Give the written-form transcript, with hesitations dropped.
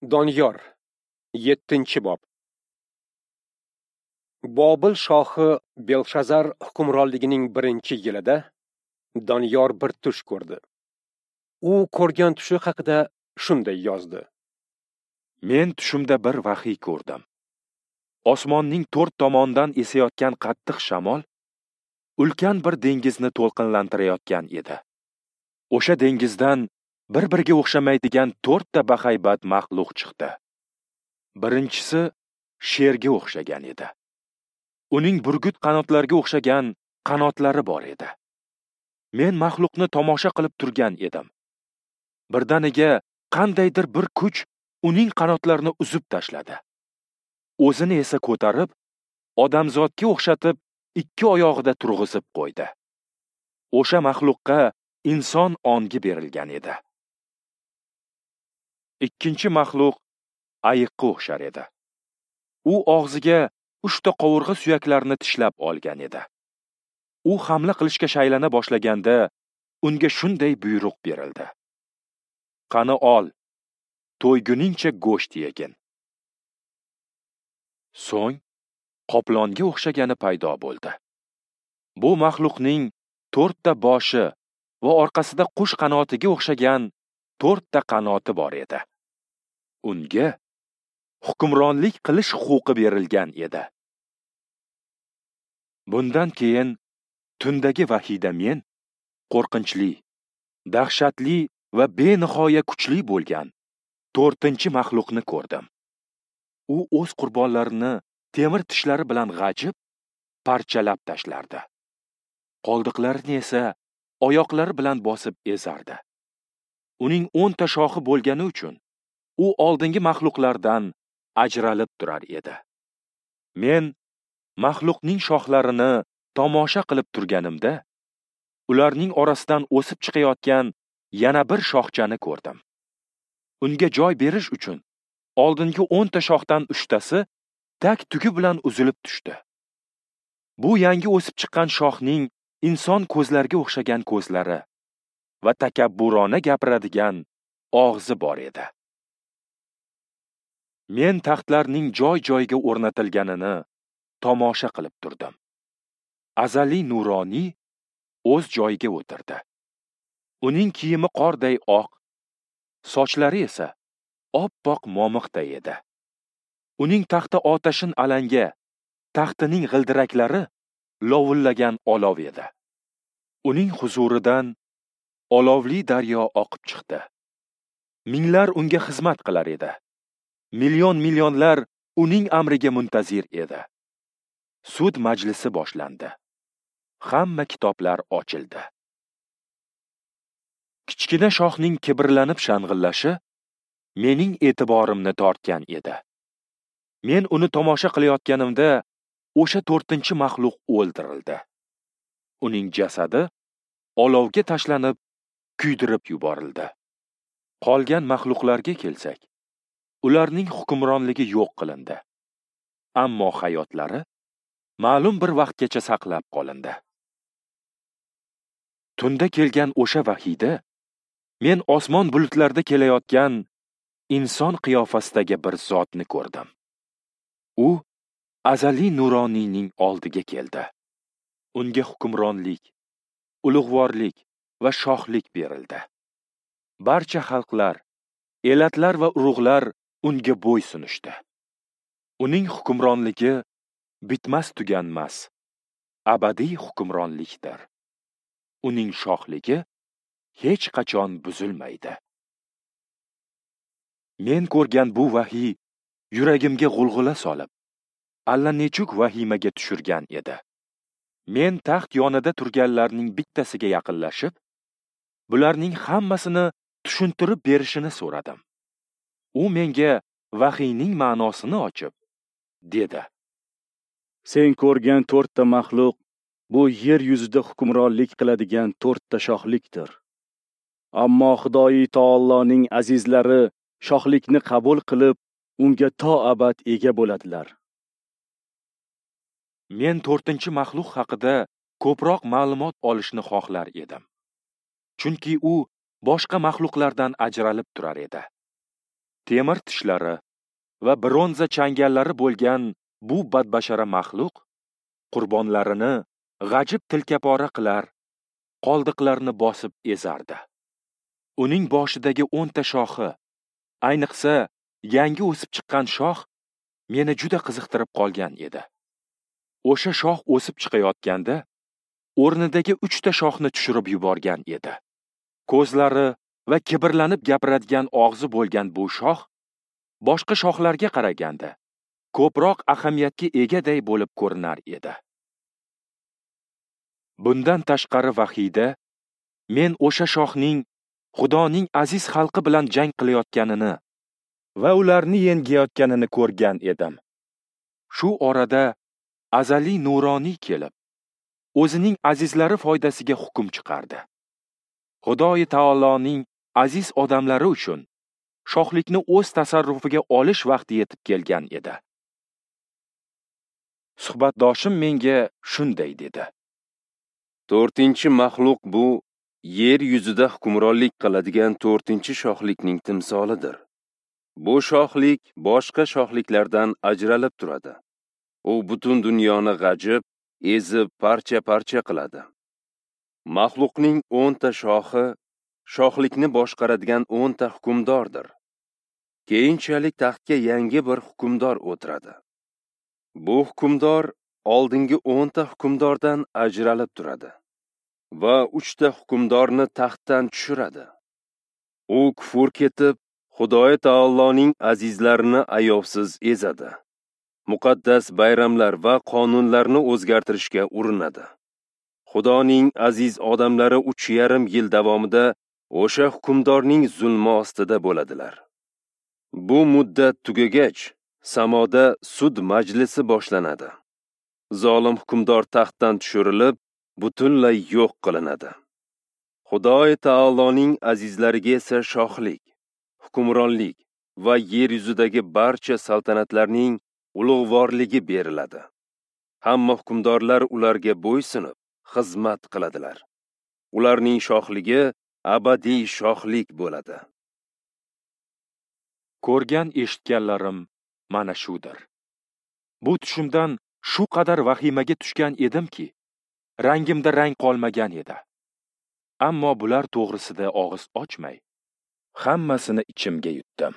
Doniyor, 7-bob. Bobil shohi Belshazar hukmronligining 1-yilida Doniyor bir tush ko'rdi. U ko'rgan tushi haqida shunday yozdi: Men tushimda bir vahiy ko'rdim. Osmonning to'rt tomondan esayotgan qattiq shamol ulkan bir dengizni to'lqinlantirayotgan edi. O'sha dengizdan bir-biriga o'xshamaydigan to'rtta bahaybat maxluq chiqdi. Birinchisi sherga o'xshagan edi. Uning burgut qanotlariga o'xshagan qanotlari bor edi. Men maxluqni tomosha qilib turgan edim. Birdaniga qandaydir bir kuch uning qanotlarini uzib tashladi. O'zini esa ko'tarib, odamzodga o'xshatib ikki oyog'ida turg'izib qo'ydi. O'sha maxluqqa inson ongi berilgan edi. Ikkinchi maxluq ayiqqa o'xshar edi. U og'ziga 3 ta qovurg'a suyaklarini tishlab olgan edi. U hamla qilishga shaylana boshlaganda unga shunday buyruq berildi: Qani ol, to'yguningcha go'sht yegin. So'ng qoplonga o'xshagani paydo bo'ldi. Bu maxluqning 4 ta boshi va orqasida qush qanotiga o'xshagan 4 ta qanoti bor edi. Unga hukmronlik qilish huquqi berilgan edi. Bundan keyin tundagi vahiyda men qo'rqinchli, dahshatli va benihoya kuchli bo'lgan 4-chi maxluqni ko'rdim. U o'z qurbonlarini temir tishlari bilan g'ajib, parchalab tashlardi. Qoldiqlarini esa oyoqlari bilan bosib ezardi. Uning 10 ta shoxi bo'lgani uchun u oldingi maxluqlardan ajralib turar edi. Men maxluqning shoxlarini tomosha qilib turganimda, ularning orasidan o'sib chiqayotgan yana bir shoxchani ko'rdim. Unga joy berish uchun oldingi 10 ta shoxdan 3 tasi tak tugi bilan uzilib tushdi. Bu yangi o'sib chiqqan shoxning inson ko'zlariga o'xshagan ko'zlari va takabburona gapiradigan og'zi bor edi. Men taxtlarning joy-joyiga o'rnatilganini tomosha qilib turdim. Azaliy nuroniy o'z joyiga o'tirdi. Uning kiyimi qorday oq, sochlari esa oppoq momiqday edi. Uning taxti otashin alanga, taxtining g'ildiraklari lovullagan olov edi. Uning huzuridan olovli daryo oqib chiqdi. Minglar unga xizmat qilar edi. Million-millionlar uning amriga muntazir edi. Sud majlisi boshlandi. Hamma kitoblar ochildi. Kichkina shoxning kibrlanib shang'illashi mening e'tiborimni tortgan edi. Men uni tomosha qilayotganimda o'sha 4-chi maxluq o'ldirildi. Uning jasadi olovga tashlanib, kuydirib yuborildi. Qolgan maxluqlarga kelsak, ularning hukmronligi yo'q qilindi. Ammo hayotlari ma'lum bir vaqtgacha saqlab qolindi. Tunda kelgan o'sha vahiyda men osmon bulutlarida kelayotgan inson qiyofasidagi bir zotni ko'rdim. U azaliy nuroniyning oldiga keldi. Unga hukmronlik, ulug'vorlik va shohlik berildi. Barcha xalqlar, elatlar va urug'lar unga bo'ysunishdi. Uning hukmronligi bitmas tuganmas, abadiy hukmronlikdir. Uning shohligi hech qachon buzilmaydi. Men ko'rgan bu vahiy yuragimga g'ulg'ula solib, allanechuk vahimaga tushirgan edi. Men taxt yonida turganlarning bittasiga yaqinlashib, bularning hammasini tushuntirib berishini so'radim. U menga vahiyning ma'nosini ochib, dedi: Sen ko'rgan 4 ta maxluq bu yer yuzida hukmronlik qiladigan 4 ta shohlikdir. Ammo Xudoyi taoloning azizlari shohlikni qabul qilib, unga to abad ega bo'ladilar. Men 4-chi maxluq haqida ko'proq ma'lumot olishni xohlar edim. Chunki u boshqa maxluqlardan ajralib turar edi. Temir tishlari va bronza changallari bo'lgan bu badbashara maxluq qurbonlarini g'ajib tilkapora qilar, qoldiqlarni bosib ezardi. Uning boshidagi 10 ta shoxi, ayniqsa yangi o'sib chiqqan shox meni juda qiziqtirib qolgan edi. O'sha shox o'sib chiqayotganda o'rnidagi 3 ta shoxni tushirib yuborgan edi. Ko'zlari va kibrlanib gapiradigan og'zi bo'lgan bu shox boshqa shoxlarga qaraganda ko'proq ahamiyatga egaday bo'lib ko'rinar edi. Bundan tashqari vahiyda men o'sha shoxning Xudoning aziz xalqi bilan jang qilayotganini va ularni yengayotganini ko'rgan edim. Shu orada azaliy nuroniy kelib, o'zining azizlari foydasiga hukm chiqardi. Xudoyi taoloning aziz odamlari uchun shohlikni o'z tasarrufiga olish vaqti yetib kelgan edi. Suhbatdoshim menga shunday dedi: 4-chi maxluq bu yer yuzida hukmronlik qiladigan 4-chi shohlikning timsolidir. Bu shohlik boshqa shohliklardan ajralib turadi. U butun dunyoni g'ajib, ezib, parcha-parcha qiladi. Maxluqning 10 ta shoxi shohlikni boshqaradigan 10 ta hukmdordir. Keyinchalik taxtga yangi bir hukmdor o'tiradi. Bu hukmdor oldingi 10 ta hukmdordan ajralib turadi va 3 ta hukmdorni taxtdan tushiradi. U kufr ketib, Xudoy taoloning azizlarini ayovsiz ezadi. Muqaddas bayramlar va qonunlarni o'zgartirishga urinadi. Xudoning aziz odamlari 3,5 yil davomida o'sha hukmdorning zulmi ostida bo'ladilar. Bu muddat tugagach, samoda sud majlisi boshlanadi. Zolim hukmdor taxtdan tushirilib, butunlay yo'q qilinadi. Xudoy taoloning azizlariga esa shohlik, hukmronlik va yer yuzidagi barcha saltanatlarning ulug'vorligi beriladi. Hamma hukmdorlar ularga bo'ysunib xizmat qiladilar. Ularning shohligi abadiy shohlik bo'ladi. Ko'rgan eshitganlarim mana shudir. Bu tushimdan shu qadar vahimaga tushgan edimki, rangimda rang qolmagan edi. Ammo bular to'g'risida og'iz ochmay, hammasini ichimga yutdim.